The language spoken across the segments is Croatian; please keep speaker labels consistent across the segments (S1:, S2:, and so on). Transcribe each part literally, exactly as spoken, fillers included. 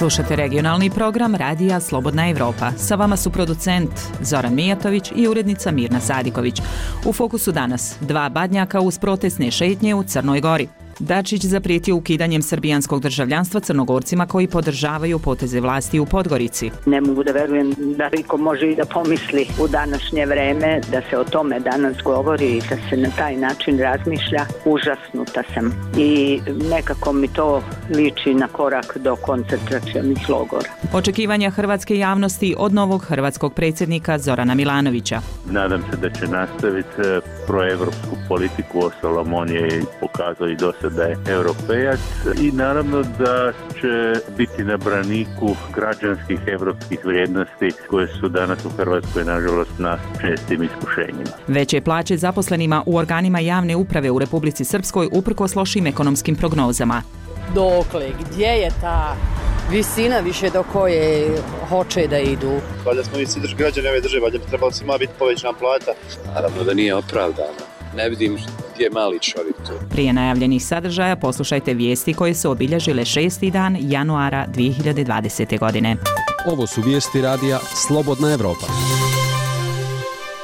S1: Slušate regionalni program Radija Slobodna Evropa. Sa vama su producent Zoran Mijatović i urednica Mirna Sadiković. U fokusu danas dva badnjaka uz protestne šetnje u Crnoj Gori. Dačić zaprijetio ukidanjem srbijanskog državljanstva Crnogorcima koji podržavaju poteze vlasti u Podgorici.
S2: Ne mogu da verujem da niko može i da pomisli u današnje vreme da se o tome danas govori i da se na taj način razmišlja. Užasnuta sam i nekako mi to liči na korak do koncentracionih logora.
S1: Očekivanja hrvatske javnosti od novog hrvatskog predsjednika Zorana Milanovića.
S3: Nadam se da će nastaviti proevropsku politiku, ostalom on je pokazao i do da je europejac i naravno da će biti na braniku građanskih evropskih vrijednosti koje su danas u Hrvatskoj nažalost na čestim iskušenjima.
S1: Veće plaće zaposlenima u organima javne uprave u Republici Srpskoj uprkos lošim ekonomskim prognozama.
S4: Dokle, gdje je ta visina više do koje hoće da idu?
S5: Valjda smo mi svi građani ove države, valjda bi trebalo svima biti povećana plata.
S6: Naravno da nije opravdano. Ne vidim gdje je mali čovjek tu.
S1: Prije najavljenih sadržaja poslušajte vijesti koje su obilježile šesti dan januara dvije hiljade dvadesete. godine.
S7: Ovo su vijesti radija Slobodna Evropa.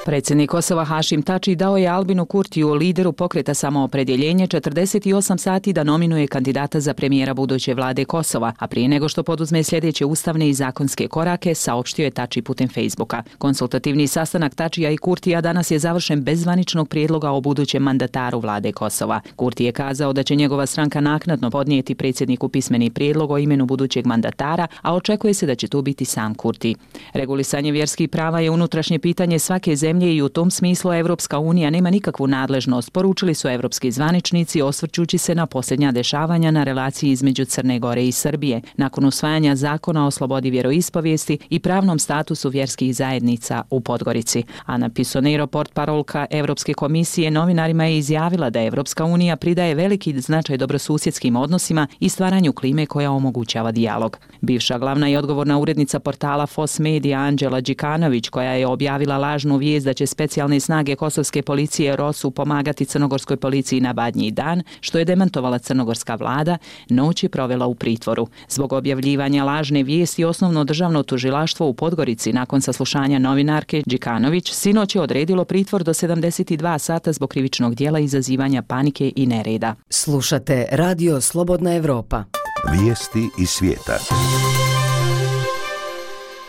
S1: Predsjednik Kosova Hašim Tači dao je Albinu Kurtiju, lideru pokreta Samoopredjeljenje, četrdeset osam sati da nominuje kandidata za premijera buduće vlade Kosova, a prije nego što poduzme sljedeće ustavne i zakonske korake, saopštio je Tači putem Facebooka. Konsultativni sastanak Tačija i Kurtija danas je završen bez zvaničnog prijedloga o budućem mandataru vlade Kosova. Kurti je kazao da će njegova stranka naknadno podnijeti predsjedniku pismeni prijedlog o imenu budućeg mandatara, a očekuje se da će tu biti sam Kurti. Regulisanje vjerskih prava je unutrašnje pitanje svake zemlje i u tom smislu Evropska unija nema nikakvu nadležnost, poručili su evropski zvaničnici osvrćući se na posljednja dešavanja na relaciji između Crne Gore i Srbije, nakon usvajanja zakona o slobodi vjeroispovijesti i pravnom statusu vjerskih zajednica u Podgorici. Ana Pisonero, portparolka Evropske komisije, novinarima je izjavila da Evropska unija pridaje veliki značaj dobrosusjedskim odnosima i stvaranju klime koja omogućava dijalog. Bivša glavna i odgovorna urednica portala Fos Media Anđela Đikanović, koja je objavila lažnu vijest da će specijalne snage kosovske policije ROSU pomagati crnogorskoj policiji na Badnji dan, što je demantovala crnogorska vlada, noć je provela u pritvoru. Zbog objavljivanja lažne vijesti osnovno državno tužilaštvo u Podgorici nakon saslušanja novinarke Đikanović sinoć je odredilo pritvor do sedamdeset dva sata zbog krivičnog djela izazivanja panike i nereda.
S8: Slušate Radio Slobodna Evropa.
S9: Vijesti iz svijeta.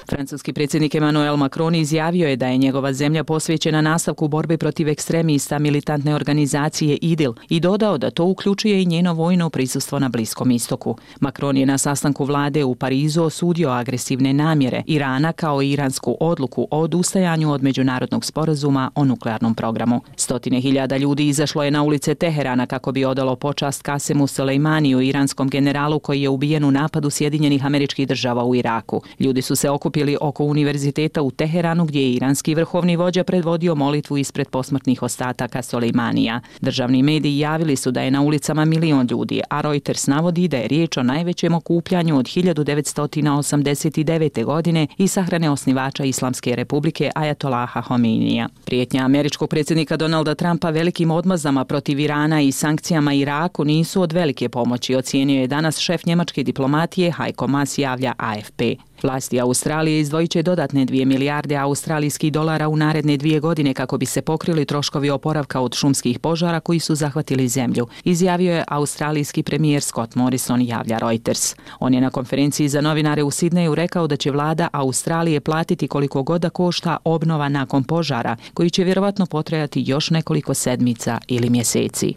S1: Francuski predsjednik Emmanuel Macron izjavio je da je njegova zemlja posvećena nastavku borbe protiv ekstremista militantne organizacije IDIL i dodao da to uključuje i njeno vojno prisustvo na Bliskom istoku. Macron je na sastanku vlade u Parizu osudio agresivne namjere Irana kao i iransku odluku o odustajanju od međunarodnog sporazuma o nuklearnom programu. Stotine hiljada ljudi izašlo je na ulice Teherana kako bi odalo počast Kasemu Soleimaniju, iranskom generalu koji je ubijen u napadu Sjedinjenih Američkih Država u Iraku. Ljudi su se okupili oko univerziteta u Teheranu gdje je iranski vrhovni vođa predvodio molitvu ispred posmrtnih ostataka Soleimanija. Državni mediji javili su da je na ulicama milion ljudi, a Reuters navodi da je riječ o najvećem okupljanju od hiljadu devetsto osamdeset devete. godine i sahrane osnivača Islamske republike Ajatolaha Homeinija. Prijetnja američkog predsjednika Donalda Trumpa velikim odmazama protiv Irana i sankcijama Iraku nisu od velike pomoći, ocijenio je danas šef njemačke diplomatije Heiko Maas, javlja A F P. Vlasti Australije izdvojit će dodatne dvije milijarde australijskih dolara u naredne dvije godine kako bi se pokrili troškovi oporavka od šumskih požara koji su zahvatili zemlju, izjavio je australijski premijer Scott Morrison, javlja Reuters. On je na konferenciji za novinare u Sidneju rekao da će vlada Australije platiti koliko god da košta obnova nakon požara, koji će vjerovatno potrajati još nekoliko sedmica ili mjeseci.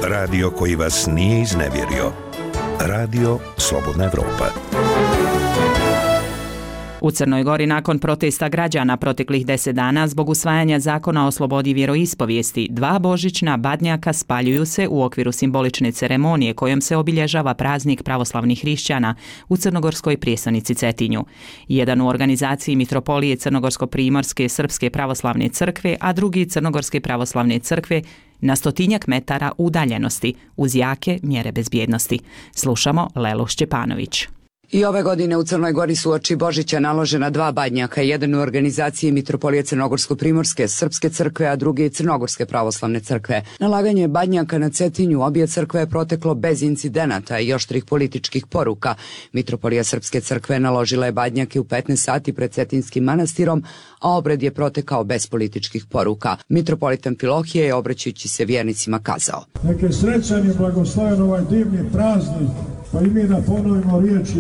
S9: Radio koji vas nije iznevjerio. Radio Slobodna Evropa.
S1: U Crnoj Gori nakon protesta građana proteklih deset dana zbog usvajanja zakona o slobodi vjeroispovijesti, dva božićna badnjaka spaljuju se u okviru simbolične ceremonije kojom se obilježava praznik pravoslavnih hrišćana u crnogorskoj prijestolnici Cetinju. Jedan u organizaciji Mitropolije Crnogorsko-primorske Srpske pravoslavne crkve, a drugi Crnogorske pravoslavne crkve na stotinjak metara udaljenosti uz jake mjere bezbjednosti. Slušamo Lelu Šćepanović.
S10: I ove godine u Crnoj Gori su uoči Božića naložena dva badnjaka, jedan u organizaciji Mitropolije Crnogorsko-Primorske Srpske crkve, a drugi Crnogorske pravoslavne crkve. Nalaganje badnjaka na Cetinju obje crkve je proteklo bez incidenata i oštrih političkih poruka. Mitropolija Srpske crkve naložila je badnjake u petnaest sati pred Cetinskim manastirom, a obred je protekao bez političkih poruka. Mitropolit Amfilohije je, obraćajući se vjernicima, kazao:
S11: Nek je srećan i blagosloven ovaj divni praznik, pa i mi da ponovimo riječi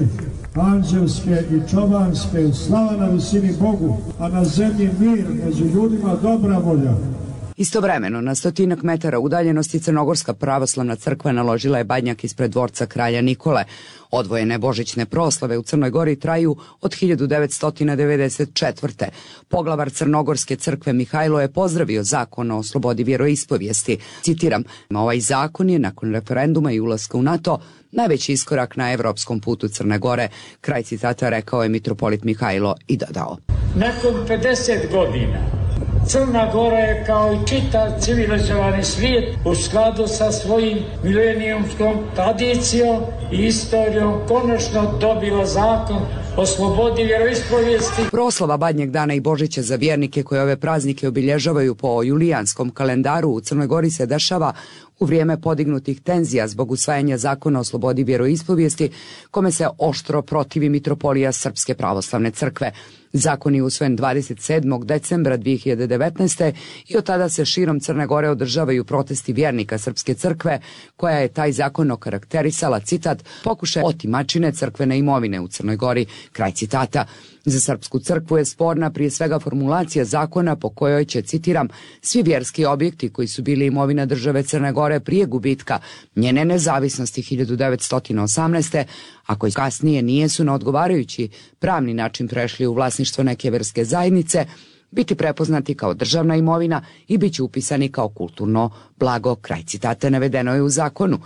S11: anđelske i čobanske: slava na visini Bogu, a na zemlji mir, među ljudima dobra volja.
S10: Istovremeno, na stotinak metara udaljenosti Crnogorska pravoslavna crkva naložila je badnjak ispred dvorca kralja Nikole. Odvojene božićne proslave u Crnoj Gori traju od hiljadu devetsto devedeset četvrte. Poglavar Crnogorske crkve Mihajlo je pozdravio zakon o slobodi vjeroispovijesti. Citiram: ovaj zakon je nakon referenduma i ulaska u NATO najveći iskorak na evropskom putu Crne Gore. Kraj citata rekao je mitropolit Mihajlo i dodao:
S12: nakon pedeset godina Crna Gora je kao i čitav civilizovani svijet u skladu sa svojim milenijumskom tradicijom i istorijom konačno dobila zakon o slobodi vjeroispovijesti.
S10: Proslava Badnjeg dana i Božića za vjernike koje ove praznike obilježavaju po julijanskom kalendaru u Crnoj Gori se dešava u vrijeme podignutih tenzija zbog usvajanja zakona o slobodi vjeroispovijesti, kome se oštro protivi Mitropolija Srpske pravoslavne crkve. Zakon je usvojen dvadeset sedmog decembra dvije hiljade devetnaeste. i od tada se širom Crne Gore održavaju protesti vjernika Srpske crkve, koja je taj zakon okarakterisala, citat, pokušaj otimačine crkvene imovine u Crnoj Gori, kraj citata. Za Srpsku crkvu je sporna prije svega formulacija zakona po kojoj će, citiram, svi vjerski objekti koji su bili imovina države Crne Gore prije gubitka njene nezavisnosti hiljadu devetsto osamnaeste. a koji kasnije nijesu na odgovarajući pravni način prešli u vlasništvo neke vjerske zajednice, biti prepoznati kao državna imovina i bit će upisani kao kulturno blago, kraj citata, navedeno je u zakonu.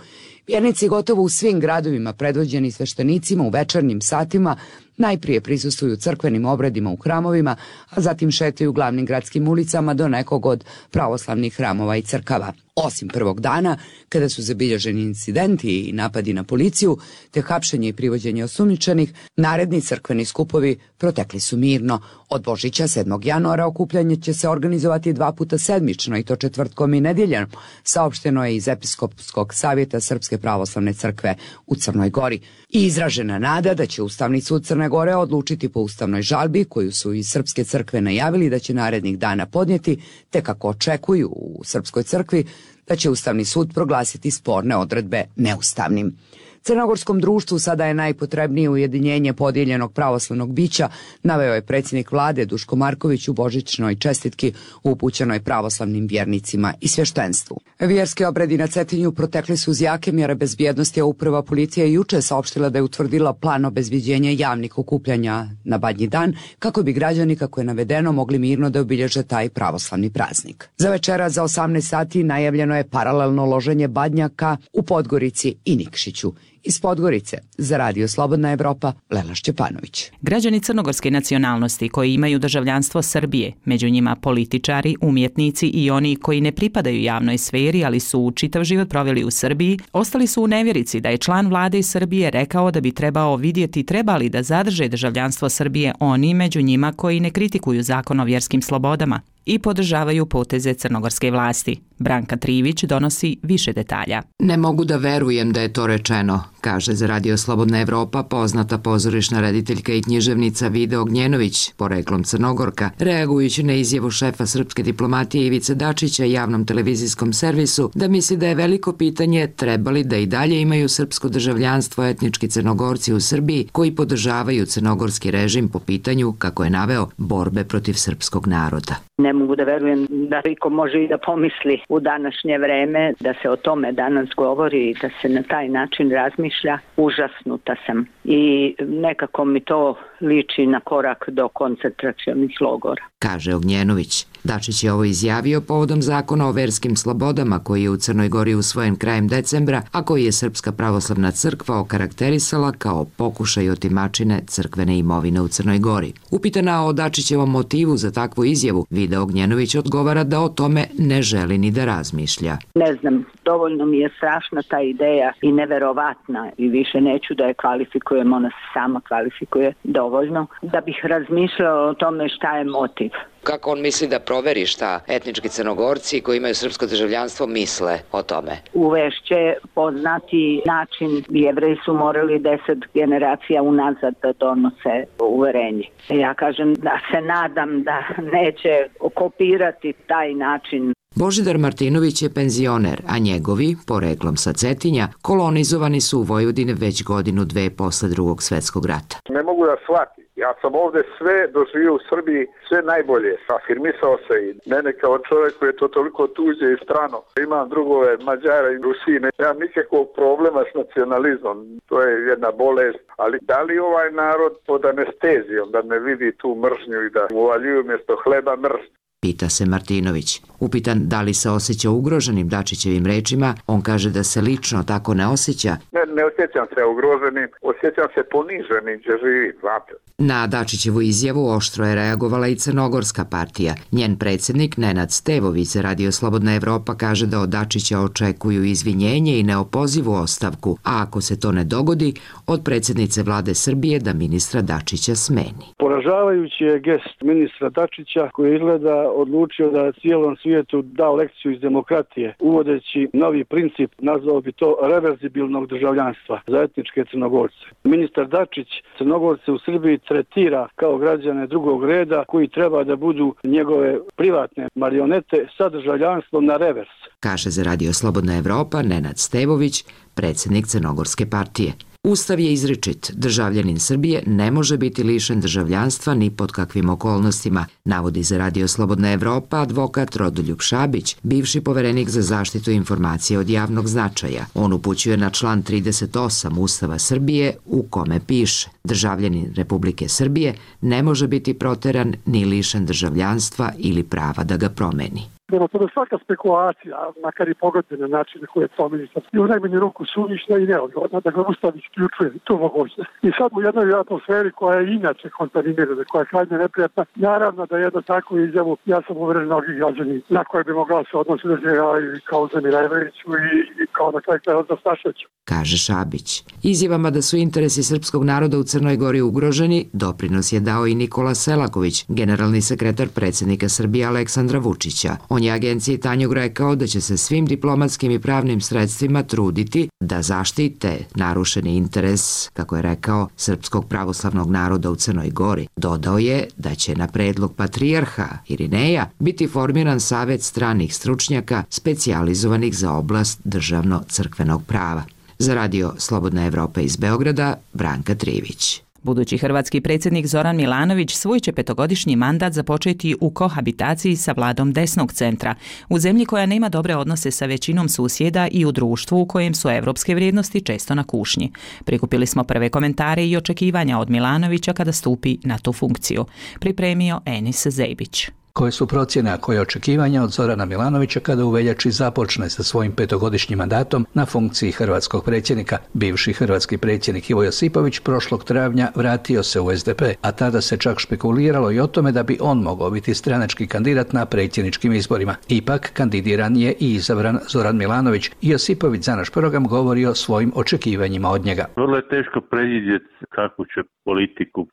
S10: Vjernici gotovo u svim gradovima, predvođeni sveštenicima u večernjim satima, najprije prisustvuju crkvenim obredima u hramovima, a zatim šetaju glavnim gradskim ulicama do nekog od pravoslavnih hramova i crkava. Osim prvog dana, kada su zabilježeni incidenti i napadi na policiju, te hapšenje i privođenje osumnjičenih, naredni crkveni skupovi protekli su mirno. Od Božića sedmog januara okupljanje će se organizovati dva puta sedmično, i to četvrtkom i nedjeljom, saopšteno je iz Episkopskog savjeta Srpske pravoslavne crkve u Crnoj Gori. I izražena nada da će Ustavni sud Crne Gore odlučiti po ustavnoj žalbi koju su iz Srpske crkve najavili da će narednih dana podnijeti, te kako očekuju u Srpskoj crkvi da će Ustavni sud proglasiti sporne odredbe neustavnim. Crnogorskom društvu sada je najpotrebnije ujedinjenje podijeljenog pravoslavnog bića, naveo je predsjednik vlade Duško Marković u božićnoj čestitki upućenoj pravoslavnim vjernicima i svještenstvu. Vjerski obredi na Cetinju protekli su uz jake mjere bezbjednosti, a uprava policije juče saopštila da je utvrdila plan obezbjeđenja javnih okupljanja na Badnji dan, kako bi građani, kako je navedeno, mogli mirno da obilježe taj pravoslavni praznik. Za večera za osamnaest sati najavljeno je paralelno loženje badnjaka u Podgorici i Nikšiću. Iz Podgorice za Radio Slobodna Evropa, Lela Šćepanović.
S1: Građani crnogorske nacionalnosti koji imaju državljanstvo Srbije, među njima političari, umjetnici i oni koji ne pripadaju javnoj sferi, ali su čitav život proveli u Srbiji, ostali su u nevjerici da je član vlade iz Srbije rekao da bi trebao vidjeti trebali da zadrže državljanstvo Srbije oni među njima koji ne kritikuju zakon o vjerskim slobodama i podržavaju poteze crnogorske vlasti. Branka Trivić donosi više detalja.
S13: Ne mogu da verujem da je to rečeno, kaže za Radio Slobodna Evropa poznata pozorišna rediteljka i književnica Vida Ognjenović, poreklom Crnogorka, reagujući na izjavu šefa srpske diplomatije Ivice Dačića javnom televizijskom servisu da misli da je veliko pitanje trebali da i dalje imaju srpsko državljanstvo etnički Crnogorci u Srbiji koji podržavaju crnogorski režim po pitanju, kako je naveo, borbe protiv srpskog naroda.
S2: Ne mogu da verujem da niko može i da pomisli u današnje vreme da se o tome danas govori i da se na taj način razmišlja. Užasnuta sam i nekako mi to liči na korak do koncentracionih logora.
S13: Kaže Ognjenović. Dačić je ovo izjavio povodom zakona o verskim slobodama koji je u Crnoj Gori usvojen krajem decembra, a koji je Srpska pravoslavna crkva okarakterisala kao pokušaj otimačine crkvene imovine u Crnoj Gori. Upitana o Dačićevom motivu za takvu izjavu, Vida Ognjenović odgovara da o tome ne želi ni da razmišlja.
S2: Ne znam, dovoljno mi je strašna ta ideja i neverovatna i više neću da je kvalifikujem, ona se sama kvalifikuje dovoljno, da bih razmišljala o tome šta je motiv.
S13: Kako on misli da proveri šta etnički Crnogorci koji imaju srpsko državljanstvo misle o tome?
S2: Uvešće poznati način, Jevreji su morali deset generacija unazad da donose uverenje. Ja kažem da se nadam da neće kopirati taj način.
S13: Božidar Martinović je penzioner, a njegovi, poreklom sa Cetinja, kolonizovani su u Vojvodini već godinu dve posle drugog svetskog rata.
S14: Ne mogu da shvatim. Ja sam ovde sve doživio u Srbiji, sve najbolje. Afirmisao se i mene kao čovjek koji je to toliko tuđe i strano. Imam drugove Mađara i Rusine. Nemam nikakvog problema s nacionalizmom. To je jedna bolest. Ali da li ovaj narod pod anestezijom da ne vidi tu mržnju i da mu uvaljuju mjesto hleba mržnju?
S13: Pita se Martinović. Upitan da li se osjeća ugroženim Dačićevim rečima, on kaže da se lično tako ne osjeća.
S14: Ne, ne osjećam se ugroženim, osjećam se poniženim gdje živi, znate.
S13: Na Dačićevu izjavu oštro je reagovala i Crnogorska partija. Njen predsjednik Nenad Stevović za Radio Slobodna Evropa kaže da od Dačića očekuju izvinjenje i neopozivu ostavku, a ako se to ne dogodi, od predsjednice vlade Srbije da ministra Dačića smeni.
S15: Poražavajući je gest ministra Dačića koji izgleda odlučio da cijelom svijetu da lekciju iz demokratije, uvodeći novi princip, nazvao bi to reverzibilnog državljanstva za etničke Crnogorce. Ministar Dačić Crnogorce u Srbiji tretira kao građane drugog reda koji treba da budu njegove privatne marionete sa državljanstvom na revers.
S13: Kaže za Radio Slobodna Evropa Nenad Stevović, predsjednik Crnogorske partije. Ustav je izričit. Državljanin Srbije ne može biti lišen državljanstva ni pod kakvim okolnostima, navodi za Radio Slobodna Evropa advokat Rodoljub Šabić, bivši poverenik za zaštitu informacije od javnog značaja. On upućuje na član trideset osam Ustava Srbije u kome piše: državljanin Republike Srbije ne može biti proteran ni lišen državljanstva ili prava da ga promeni.
S16: Prema tome svaka spekulacija, makar i pogodne na način na koje je pomenica, je u najmanju ruku suvišna i neodgovorna, da ga Ustav isključuje tu mogućnost. I sad u jednoj atmosferi koja je inače kontaminirana, koja je krajnje neprijatna, naravno da jedno takvu izjavu, ja sam uveren mnogi građani na koje bi mogla se odnositi da se i kao Zemireviću i, i kao na kraju kraja od Stašeću.
S13: Kaže Šabić. Izjavama da su interesi srpskog naroda u Crnoj Gori ugroženi, doprinos je dao i Nikola Selaković, generalni sekretar predsjednika Srbije Aleksandra Vučića. On je agenciji Tanjug rekao da će se svim diplomatskim i pravnim sredstvima truditi da zaštite narušeni interes, kako je rekao, srpskog pravoslavnog naroda u Crnoj Gori. Dodao je da će na predlog patrijarha Irineja biti formiran savet stranih stručnjaka specijalizovanih za oblast državno-crkvenog prava. Za Radio Slobodna Evropa iz Beograda, Branka Trivić.
S1: Budući hrvatski predsjednik Zoran Milanović svoj će petogodišnji mandat započeti u kohabitaciji sa vladom desnog centra, u zemlji koja nema dobre odnose sa većinom susjeda i u društvu u kojem su evropske vrijednosti često na kušnji. Prikupili smo prve komentare i očekivanja od Milanovića kada stupi na tu funkciju. Pripremio Enis Zejbić.
S17: Koje su procjene, a koje očekivanja od Zorana Milanovića kada u veljači započne sa svojim petogodišnjim mandatom na funkciji hrvatskog predsjednika? Bivši hrvatski predsjednik Ivo Josipović prošlog travnja vratio se u S D P, a tada se čak špekuliralo i o tome da bi on mogao biti stranački kandidat na predsjedničkim izborima. Ipak kandidiran je i izabran Zoran Milanović i Josipović za naš program govori o svojim očekivanjima od njega.
S3: Vrlo je teško predvidjeti kakvu će politiku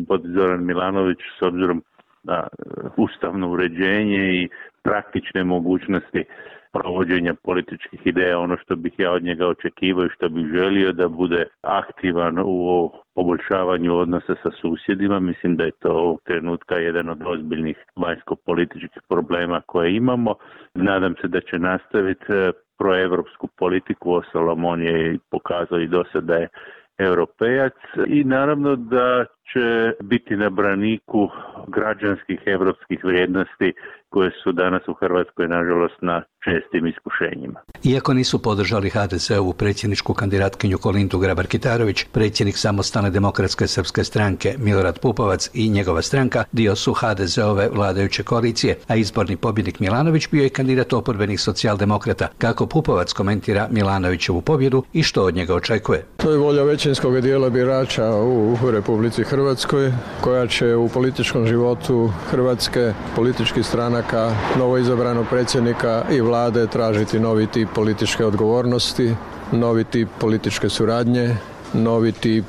S3: vodi Zoran Milanović s obzirom na ustavno uređenje i praktične mogućnosti provođenja političkih ideja. Ono što bih ja od njega očekivao i što bih želio da bude aktivan u poboljšavanju odnosa sa susjedima. Mislim da je to ovog trenutka jedan od ozbiljnih vanjsko-političkih problema koje imamo. Nadam se da će nastaviti proevropsku politiku, uostalom on je pokazao i do sada da je europejac i naravno da će biti na braniku građanskih evropskih vrijednosti koje su danas u Hrvatskoj, nažalost, na čestim iskušenjima.
S17: Iako nisu podržali ha de ze ovu predsjedničku kandidatkinju Kolindu Grabar-Kitarović, predsjednik Samostalne demokratske srpske stranke Milorad Pupovac i njegova stranka dio su ha de ze ove vladajuće koalicije, a izborni pobjednik Milanović bio je kandidat oporbenih socijaldemokrata. Kako Pupovac komentira Milanovićevu pobjedu i što od njega očekuje?
S18: To je volja većinskog dijela birača u Republici Hrvatskoj, koja će u političkom životu Hrvatske, političkih stranaka, novoizabranog predsjednika i vlade tražiti novi tip političke odgovornosti, novi tip političke suradnje, novi tip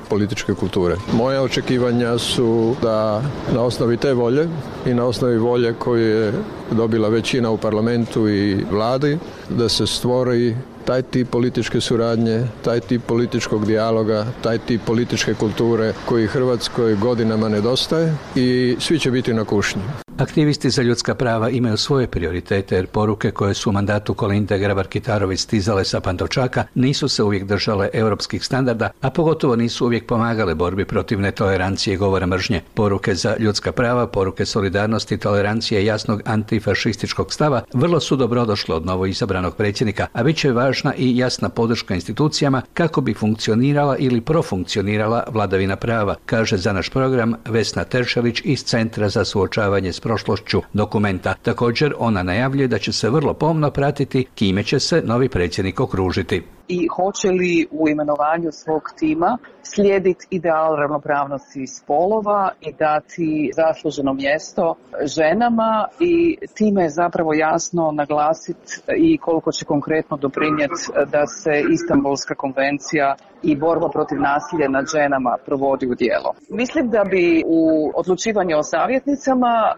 S18: političke kulture. Moja očekivanja su da na osnovi te volje i na osnovi volje koju je dobila većina u parlamentu i vladi, da se stvori taj tip političke suradnje, taj tip političkog dijaloga, taj tip političke kulture koji Hrvatskoj godinama nedostaje i svi će biti na kušnji.
S17: Aktivisti za ljudska prava imaju svoje prioritete jer poruke koje su u mandatu Kolinde Grabar-Kitarović stizale sa Pantovčaka nisu se uvijek držale europskih standarda, a pogotovo nisu uvijek pomagale borbi protiv netolerancije i govora mržnje. Poruke za ljudska prava, poruke solidarnosti, tolerancije i jasnog antifašističkog stava vrlo su dobrodošle od novo izabranog predsjednika, a bit će važna i jasna podrška institucijama kako bi funkcionirala ili profunkcionirala vladavina prava, kaže za naš program Vesna Teršelić iz Centra za suočavanje s prošlošću dokumenta. Također ona najavljuje da će se vrlo pomno pratiti kime će se novi predsjednik okružiti.
S19: I hoće li u imenovanju svog tima slijediti ideal ravnopravnosti spolova i dati zasluženo mjesto ženama i time je zapravo jasno naglasiti i koliko će konkretno doprinijeti da se Istanbulska konvencija i borba protiv nasilja nad ženama provodi u djelo. Mislim da bi u odlučivanju o savjetnicama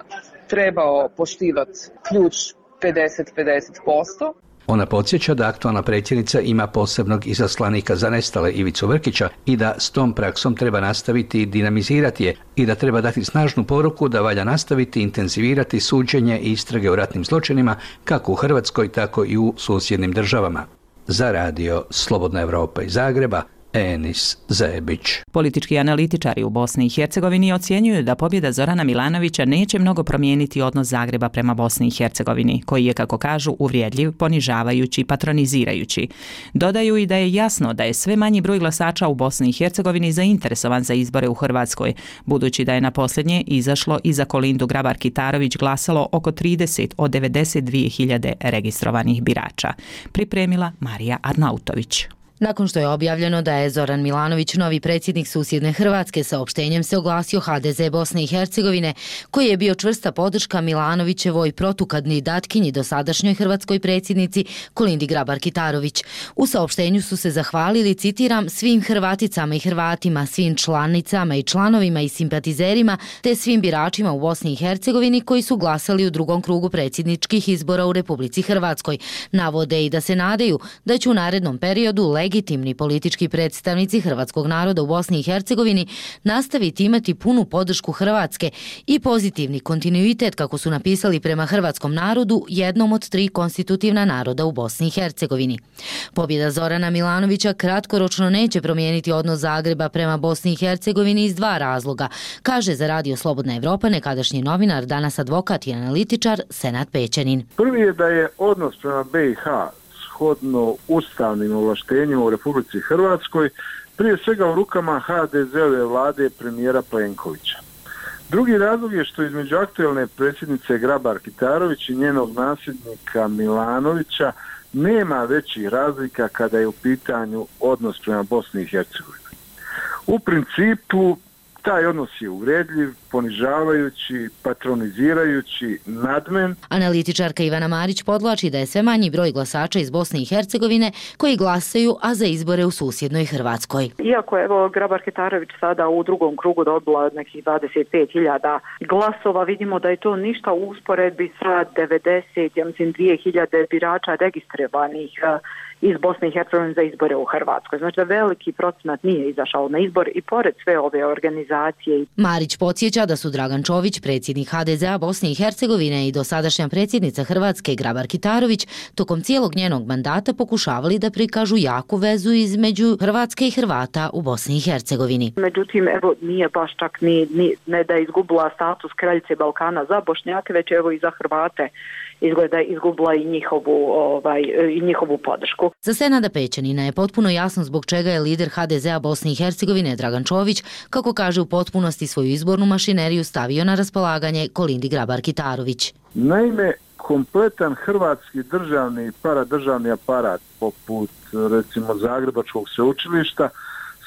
S19: trebao poštivati ključ pedeset pedeset posto.
S17: Ona podsjeća da aktualna predsjednica ima posebnog izaslanika za nestale Ivicu Vrkića i da s tom praksom treba nastaviti i dinamizirati je i da treba dati snažnu poruku da valja nastaviti intenzivirati suđenje i istrage o ratnim zločinima kako u Hrvatskoj tako i u susjednim državama. Za radio Slobodna Evropa iz Zagreba, Enis Zebić.
S1: Politički analitičari u Bosni i Hercegovini ocjenjuju da pobjeda Zorana Milanovića neće mnogo promijeniti odnos Zagreba prema Bosni i Hercegovini, koji je, kako kažu, uvrijedljiv, ponižavajući i patronizirajući. Dodaju i da je jasno da je sve manji broj glasača u Bosni i Hercegovini zainteresovan za izbore u Hrvatskoj, budući da je na posljednje izašlo i za Kolindu Grabar-Kitarović glasalo oko trideset od devedeset dvije hiljade registrovanih birača. Pripremila Marija Arnautović.
S20: Nakon što je objavljeno da je Zoran Milanović novi predsjednik susjedne Hrvatske, saopštenjem se oglasio ha de ze Bosne i Hercegovine, koji je bio čvrsta podrška Milanovićevoj protukandidatkinji dosadašnjoj hrvatskoj predsjednici Kolindi Grabar-Kitarović. U saopštenju su se zahvalili, citiram, svim Hrvaticama i Hrvatima, svim članicama i članovima i simpatizerima, te svim biračima u Bosni i Hercegovini koji su glasali u drugom krugu predsjedničkih izbora u Republici Hrvatskoj. Navode i da se nadaju da će u narednom periodu legitimni politički predstavnici hrvatskog naroda u Bosni i Hercegovini nastaviti imati punu podršku Hrvatske i pozitivni kontinuitet, kako su napisali, prema hrvatskom narodu, jednom od tri konstitutivna naroda u Bosni i Hercegovini. Pobjeda Zorana Milanovića kratkoročno neće promijeniti odnos Zagreba prema Bosni i Hercegovini iz dva razloga, kaže za radio Slobodna Evropa nekadašnji novinar, danas advokat i analitičar Senad Pećanin.
S21: Prvi je da je odnos prema be i ha shodno ustavnim ovlaštenjima u Republici Hrvatskoj prije svega u rukama ha de ze-ove vlade premijera Plenkovića. Drugi razlog je što između aktualne predsjednice Grabar-Kitarović i njenog nasljednika Milanovića nema većih razlika kada je u pitanju odnos prema Bosni i Hercegovini. U principu taj odnos je uvredljiv, ponižavajući, patronizirajući, nadmen.
S20: Analitičarka Ivana Marić podvlači da je sve manji broj glasača iz Bosne i Hercegovine koji glasaju, a za izbore u susjednoj Hrvatskoj.
S22: Iako je evo Grabar-Kitarović sada u drugom krugu dobila nekih dvadeset pet hiljada glasova, vidimo da je to ništa u usporedbi sa devedeset, ja mislim, dvije hiljade birača registrovanih iz Bosne i Hercegovine za izbore u Hrvatskoj. Znači da veliki procenat nije izašao na izbor i pored sve ove organizacije.
S20: Marić podsjeća podsjeća da su Dragan Čović, predsjednik ha de zea Bosne i Hercegovine i dosadašnja predsjednica Hrvatske Grabar Kitarović tokom cijelog njenog mandata pokušavali da prikažu jaku vezu između Hrvatske i Hrvata u Bosni i Hercegovini.
S22: Međutim, evo, nije baš čak ni, ni ne da je izgubila status kraljice Balkana za Bošnjake, već evo i za Hrvate izgleda izgubila i njihovu, ovaj, i njihovu podršku.
S20: Za Senada Pećanina je potpuno jasno zbog čega je lider ha de zea Bosne i Hercegovine Dragan Čović, kako kaže, u potpunosti svoju izbornu mašineriju stavio na raspolaganje Kolindi Grabar Kitarović.
S21: Naime, kompletan hrvatski državni i paradržavni aparat, poput recimo Zagrebačkog sveučilišta,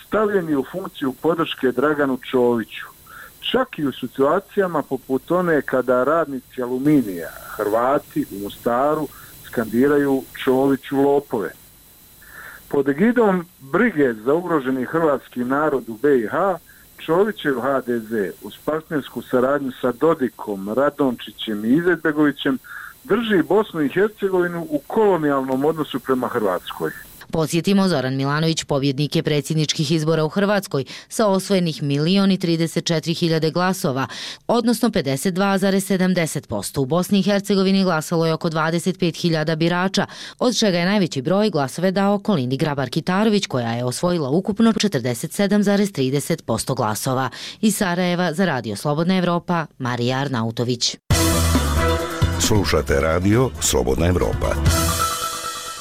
S21: stavljen je u funkciju podrške Draganu Čoviću. Čak i u situacijama poput one kada radnici Aluminija, Hrvati u Mostaru, skandiraju Čoviću lopove. Pod egidom brige za ugroženi hrvatski narod u be i ha, Čovićev ha de ze uz partnersku saradnju sa Dodikom, Radončićem i Izetbegovićem drži Bosnu i Hercegovinu u kolonijalnom odnosu prema Hrvatskoj.
S20: Podsjetimo, Zoran Milanović pobjednik je predsjedničkih izbora u Hrvatskoj sa osvojenih milion i trideset četiri hiljade glasova, odnosno pedeset dva zarez sedamdeset posto. U Bosni i Hercegovini glasalo je oko dvadeset pet hiljada birača, od čega je najveći broj glasove dao Kolindi Grabar Kitarović, koja je osvojila ukupno četrdeset sedam zarez trideset posto glasova. Iz Sarajeva za Radio Slobodna Evropa, Marija Arnautović.
S9: Slušate Radio Slobodna Evropa.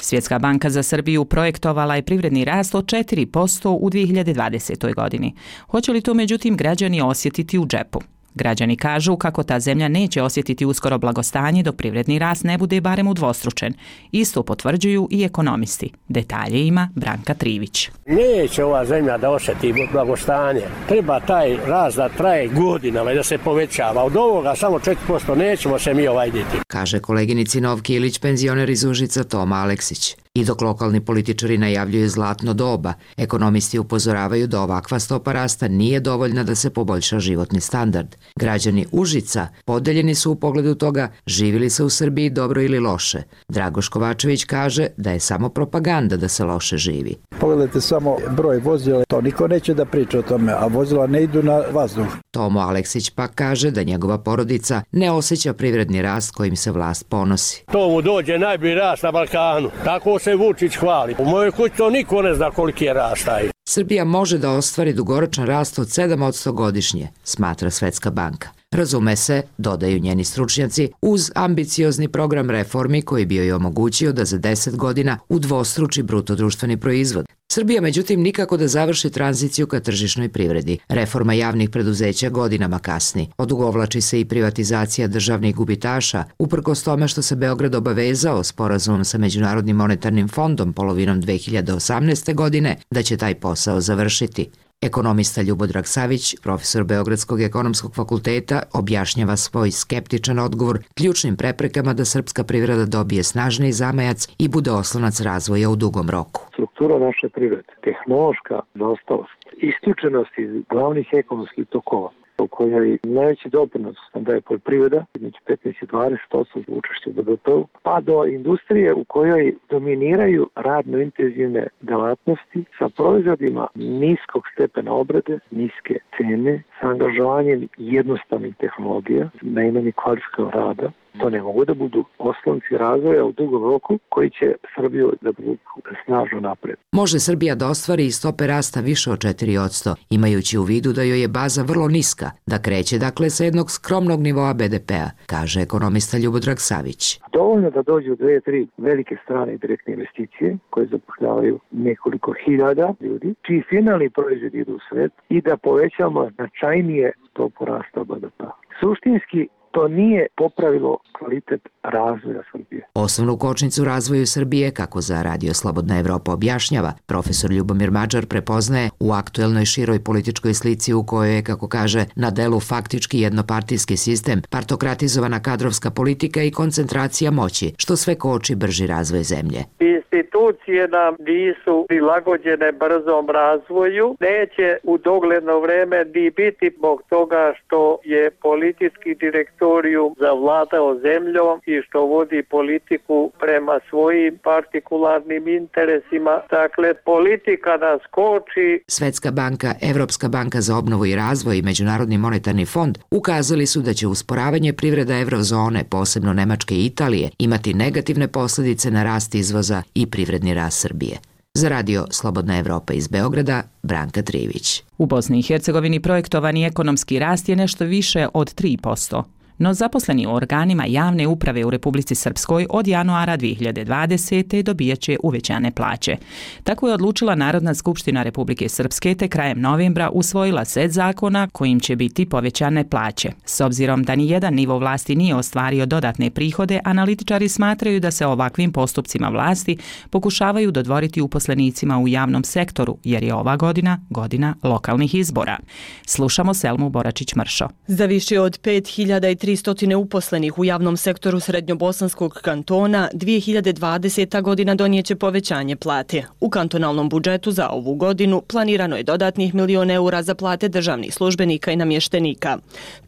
S1: Svjetska banka za Srbiju projektovala je privredni rast od četiri posto u dvije hiljade dvadesetoj. godini. Hoće li to međutim građani osjetiti u džepu? Građani kažu kako ta zemlja neće osjetiti uskoro blagostanje dok privredni rast ne bude barem udvostručen. Isto potvrđuju i ekonomisti. Detalje ima Branka Trivić.
S4: Neće ova zemlja da osjeti blagostanje. Treba taj rast da traje godinama i da se povećava. Od ovoga samo četiri posto nećemo se mi ovajditi.
S13: Kaže koleginici Novki Ilić penzioner iz Užica Toma Aleksić. I dok lokalni političari najavljuju zlatno doba, ekonomisti upozoravaju da ovakva stopa rasta nije dovoljna da se poboljša životni standard. Građani Užica podeljeni su u pogledu toga živili se u Srbiji dobro ili loše. Dragoš Kovačević kaže da je samo propaganda da se loše živi.
S5: Pogledajte samo broj vozila, to niko neće da priča o tome, a vozila ne idu na vazduh.
S13: Tomo Aleksić pak kaže da njegova porodica ne osjeća privredni rast kojim se vlast ponosi.
S4: To mu dođe najbolji rast na Balkanu, tako se Vučić hvali. U mojoj kući to niko ne zna koliki je rast taj.
S13: Srbija može da ostvari dugoročan rast od sedam posto godišnje, smatra Svetska banka. Razume se, dodaju njeni stručnjaci, uz ambiciozni program reformi koji bi joj omogućio da za deset godina udvostruči bruto društveni proizvod. Srbija međutim nikako da završi tranziciju ka tržišnoj privredi. Reforma javnih preduzeća godinama kasni. Odugovlači se i privatizacija državnih gubitaša, uprkos tome što se Beograd obavezao sporazumom sa Međunarodnim monetarnim fondom polovinom dve hiljade osamnaeste. godine da će taj posao završiti. Ekonomista Ljubodrag Savić, profesor Beogradskog ekonomskog fakulteta, objašnjava svoj skeptičan odgovor ključnim preprekama da srpska privreda dobije snažniji zamajac i bude oslonac razvoja u dugom roku.
S23: Struktura naše privrede, tehnološka zaostalost, isključenost iz glavnih ekonomskih tokova, u kojoj najveći doprinos daje poljoprivreda, između petnaest i dvadeset posto učešća u be de pe-u, pa do industrije u kojoj dominiraju radno intenzivne delatnosti sa proizvodima niskog stepena obrade, niske cene, sa angažovanjem jednostavnih tehnologija, najmanje kvalifikovanog rada. To ne mogu da budu oslonci razvoja u dugom roku koji će Srbiju da budu snažno napred.
S13: Može Srbija da ostvari i stope rasta više od četiri posto, imajući u vidu da joj je baza vrlo niska, da kreće dakle sa jednog skromnog nivoa be de pe-a, kaže ekonomista Ljubodrag Savić.
S23: Dovoljno da dođu dve, tri velike strane direktne investicije koje zapošljavaju nekoliko hiljada ljudi, čiji finalni proizvod idu u svet i da povećamo značajnije stopu rasta be de pe-a. Suštinski, to nije popravilo kvalitet razvoja Srbije.
S13: Osnovnu kočnicu razvoju Srbije, kako za Radio Slobodna Evropa objašnjava, profesor Ljubomir Mađar prepoznaje u aktuelnoj široj političkoj slici u kojoj je, kako kaže, na delu faktički jednopartijski sistem, partokratizovana kadrovska politika i koncentracija moći, što sve koči brži razvoj zemlje.
S24: Institucije nam nisu prilagođene brzom razvoju, neće u dogledno vreme ni biti zbog toga što je politički direktor teritoriju, zavladao zemljom i što vodi politiku prema svojim partikularnim interesima. Dakle, politika nas koči.
S13: Svetska banka, Evropska banka za obnovu i razvoj i Međunarodni monetarni fond ukazali su da će usporavanje privreda evrozone, posebno Nemačke i Italije, imati negativne posljedice na rast izvoza i privredni rast Srbije. Za radio Slobodna Evropa iz Beograda, Branka Trivić.
S1: U Bosni i Hercegovini projektovani ekonomski rast je nešto više od tri posto. No zaposleni u organima javne uprave u Republici Srpskoj od januara dvije hiljade dvadesete. dobijat će uvećane plaće. Tako je odlučila Narodna skupština Republike Srpske te krajem novembra usvojila set zakona kojim će biti povećane plaće. S obzirom da ni jedan nivo vlasti nije ostvario dodatne prihode, analitičari smatraju da se ovakvim postupcima vlasti pokušavaju dodvoriti uposlenicima u javnom sektoru, jer je ova godina godina lokalnih izbora. Slušamo Selmu Boračić-Mršo.
S6: Za više od pet hiljada tristo uposlenih u javnom sektoru Srednjobosanskog kantona dvije hiljade dvadeseta. godina donijeće povećanje plate. U kantonalnom budžetu za ovu godinu planirano je dodatnih milion eura za plate državnih službenika i namještenika.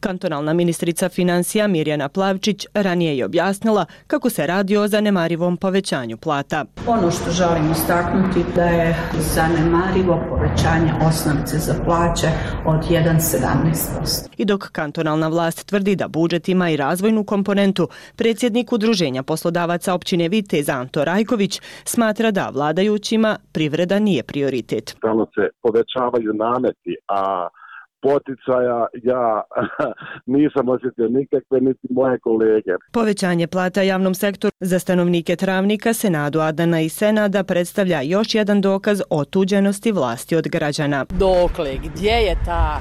S6: Kantonalna ministrica financija Mirjana Plavčić ranije je objasnila kako se radi o zanemarivom povećanju plata.
S7: Ono što želim istaknuti da je zanemarivo povećanje osnovice za plaće od jedan zarez sedamnaest posto.
S6: I dok kantonalna vlast tvrdi da budžet ima i razvojnu komponentu, predsjednik Udruženja poslodavaca općine Vitez Anto Rajković smatra da vladajućima privreda nije prioritet.
S8: Stalno se povećavaju nameti, a poticaja ja nisam osjetio nikakve, niti moje kolege.
S6: Povećanje plata javnom sektoru za stanovnike Travnika, Senadu, Adana i Senada predstavlja još jedan dokaz otuđenosti vlasti od građana.
S11: Dokle, gdje je ta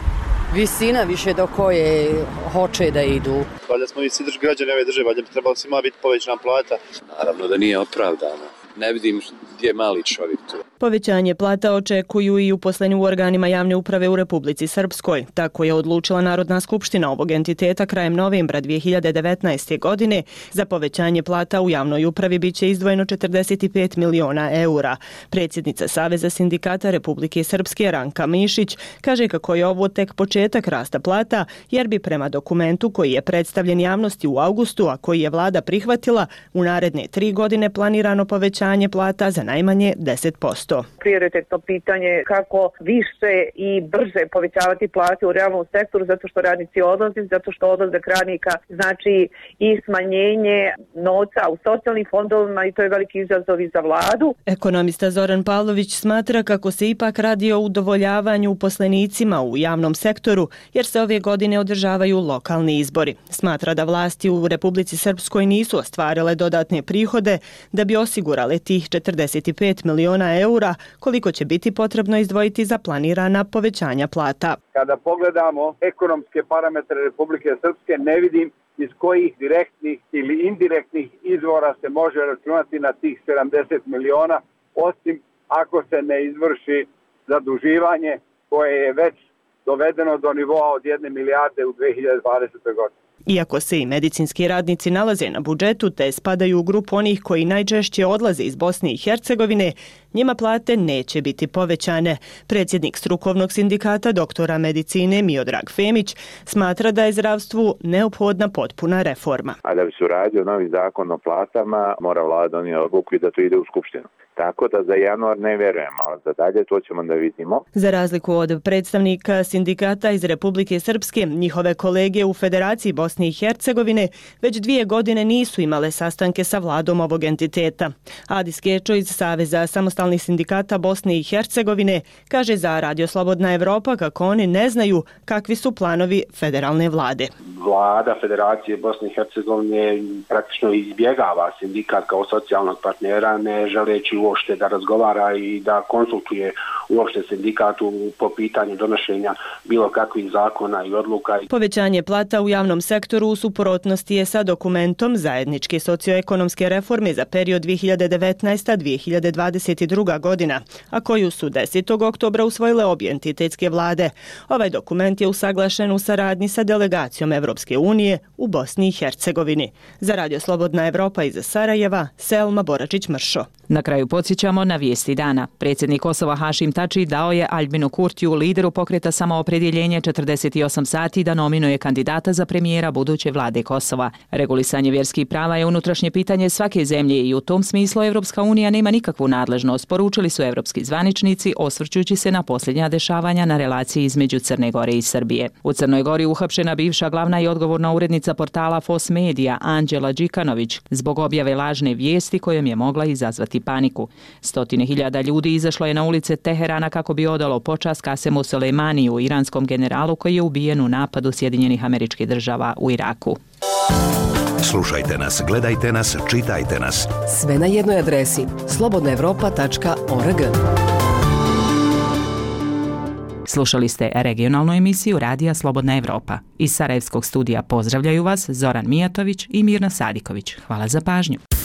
S11: visina više do koje hoće da idu?
S25: Valjda smo mi svi građani ove države, valjda bi trebalo svima biti povećana plata.
S26: Naravno da nije opravdano. Ne vidim gdje je mali čovjek tu.
S6: Povećanje plata očekuju i uposleni u organima javne uprave u Republici Srpskoj. Tako je odlučila Narodna skupština ovog entiteta krajem novembra dvije hiljade devetnaeste. godine. Za povećanje plata u javnoj upravi bit će izdvojeno četrdeset pet miliona eura. Predsjednica Saveza sindikata Republike Srpske Ranka Mišić kaže kako je ovo tek početak rasta plata, jer bi prema dokumentu koji je predstavljen javnosti u avgustu, a koji je vlada prihvatila, u naredne tri godine planirano povećanje plata za najmanje deset posto.
S27: Prioritetno pitanje kako više i brže povećavati plate u realnom sektoru, zato što radnici odlaze, zato što odlazak radnika znači i smanjenje novca u socijalnim fondovima i to je veliki izazov i za vladu.
S6: Ekonomista Zoran Pavlović smatra kako se ipak radi o udovoljavanju uposlenicima u javnom sektoru, jer se ove godine održavaju lokalni izbori. Smatra da vlasti u Republici Srpskoj nisu ostvarile dodatne prihode da bi osigurale tih četrdeset pet miliona eura koliko će biti potrebno izdvojiti za planirana povećanja plata.
S8: Kada pogledamo ekonomske parametre Republike Srpske, ne vidim iz kojih direktnih ili indirektnih izvora se može računati na tih sedamdeset miliona, osim ako se ne izvrši zaduživanje koje je već dovedeno do nivoa od jedne milijarde u dvije hiljade dvadesetoj. godini.
S6: Iako se i medicinski radnici nalaze na budžetu te spadaju u grupu onih koji najčešće odlaze iz Bosne i Hercegovine, njima plate neće biti povećane. Predsjednik strukovnog sindikata doktora medicine Miodrag Femić smatra da je zdravstvu neophodna potpuna reforma.
S3: A da bi se uradio novi zakon o platama, mora vlada donijeti odluku i da to ide u skupštinu. Tako da za januar ne vjerujemo, ali za dalje to ćemo da vidimo.
S6: Za razliku od predstavnika sindikata iz Republike Srpske, njihove kolege u Federaciji Bosne i Hercegovine već dvije godine nisu imale sastanke sa vladom ovog entiteta. Adis Kečo iz Saveza samostalnih sindikata Bosne i Hercegovine kaže za Radio Slobodna Evropa kako oni ne znaju kakvi su planovi federalne vlade.
S28: Vlada Federacije Bosne i Hercegovine praktično izbjegava sindikat kao socijalnog partnera, ne želeći uopšte da razgovara i da konsultuje uopšte sindikatu po pitanju donošenja bilo kakvih zakona i odluka.
S6: Povećanje plata u javnom sektoru u suprotnosti je sa dokumentom zajedničke socioekonomske reforme za period dvije hiljade devetnaesta do dvije hiljade dvadeset druga. godina, a koju su desetog oktobra usvojile obje entitetske vlade. Ovaj dokument je usaglašen u saradnji sa delegacijom Evropske unije u Bosni i Hercegovini. Za Radio Slobodna Evropa iz Sarajeva, Selma Boračić-Mršo.
S1: Na kraju podsjećamo na vijesti dana. Predsjednik Kosova Hašim Tači dao je Aljbinu Kurtiju, lideru pokreta Samoopredjeljenje, četrdeset osam sati da nominuje kandidata za premijera buduće vlade Kosova. Regulisanje vjerskih prava je unutrašnje pitanje svake zemlje i u tom smislu Evropska unija nema nikakvu nadležnost, poručili su evropski zvaničnici osvrćujući se na posljednja dešavanja na relaciji između Crne Gore i Srbije. U Crnoj Gori uhapšena bivša glavna i odgovorna urednica portala Fos Media Anđela Đikanović zbog objave lažne vijesti kojom je mogla izazvati paniku. Stotine hiljada ljudi izašlo je na ulice Teherana kako bi odalo počast Kasemu Soleimaniju, iranskom generalu koji je ubijen u napadu Sjedinjenih Američkih Država u Iraku.
S9: Slušajte nas, gledajte nas, čitajte nas.
S2: Sve na jednoj adresi slobodna evropa tačka org.
S1: Slušali ste regionalnu emisiju Radija Slobodna Evropa. Iz Sarajevskog studija pozdravljaju vas Zoran Mijatović i Mirna Sadiković. Hvala za pažnju.